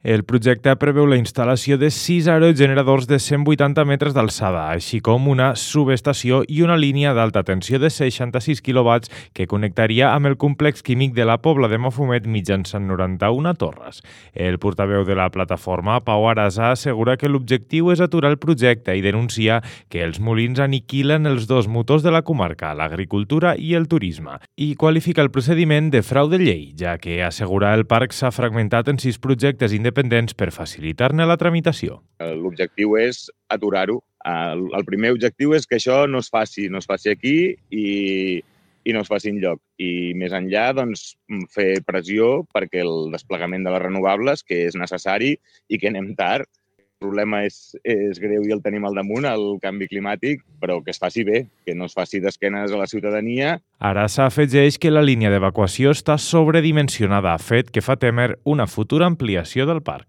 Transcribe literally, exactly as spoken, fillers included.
El projecte preveu la instal·lació de sis aerogeneradors de cent vuitanta metres d'alçada, així com una subestació i una línia d'alta tensió de seixanta-sis quilowatts que connectaria amb el complex químic de la Pobla de Mafumet mitjançant noranta-una torres. El portaveu de la plataforma, Pau Arasa, assegura que l'objectiu és aturar el projecte i denuncia que els molins aniquilen els dos motors de la comarca, l'agricultura i el turisme, i qualifica el procediment de frau de llei, ja que assegura el parc s'ha fragmentat en sis projectes independents independents per facilitar-ne la tramitació. L'objectiu és aturar-ho. El, el primer objectiu és que això no es faci, no es faci aquí i, i no es faci enlloc. I més enllà, doncs, fer pressió perquè el desplegament de les renovables, que és necessari i que anem tard, el problema és, és greu i el tenim al damunt, el canvi climàtic, però que es faci bé, que no es faci d'esquenes a la ciutadania. Arasa afegeix que la línia d'evacuació està sobredimensionada, fet que fa témer una futura ampliació del parc.